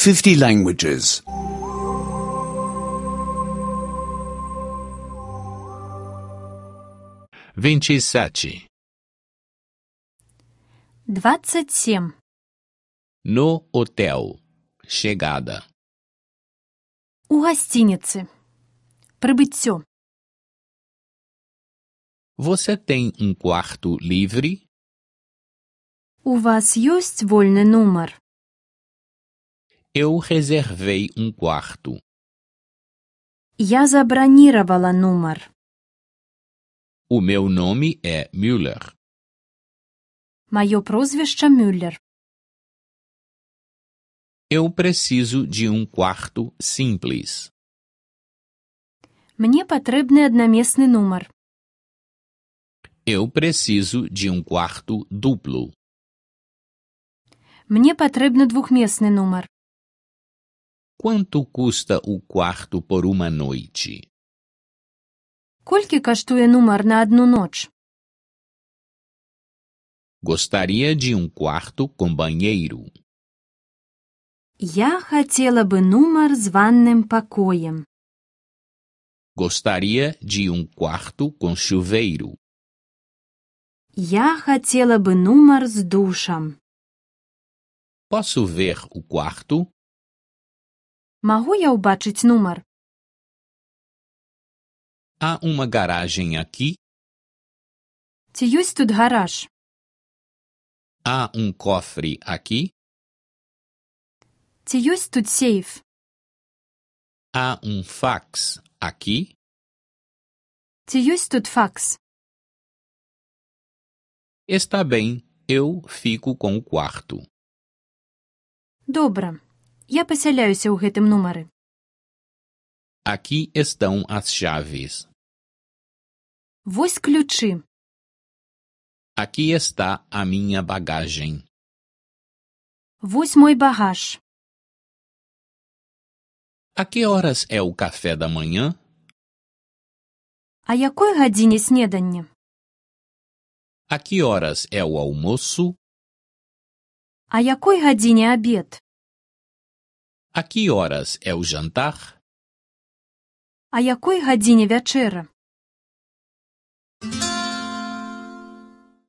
50 languages. 27. 27. No hotel. Chegada. У гасцініцы. Прыбыццё. Você tem um quarto livre? У вас ёсць вольны нумар? Eu reservei um quarto. Я забраніравала нумар. O meu nome é Müller. Маё прозвішча Мюллер. Eu preciso de um quarto simples. Мне патрэбны аднамесны нумар. Eu preciso de um quarto duplo. Мне патрэбны двухмесны нумар. Quanto custa o quarto por uma noite? Колькі каштуе нумар на адну ноч? Gostaria de um quarto com banheiro. Я хацела бы нумар з ванным пакоем. Gostaria de um quarto com chuveiro. Я хацела бы нумар з душам. Posso ver o quarto? Магу я ўбачыць нумар? Há uma garagem aqui? Ці ёсць тут гараж? Há um cofre aqui? Ці ёсць тут сейф? Há um fax aqui? Ці ёсць тут факс? Está bem, eu fico com o quarto. Добра. Я пасяляюся ў гэтым нумары. Aqui estão as chaves. Вось ключы. Aqui está a minha bagagem. Вось мой багаж. A que horas é o café da manhã? А якой гадзіне снеданне? A que horas é o almoço? А якой гадзіне абед? A que horas é o jantar? А якой гадзіне вячэра?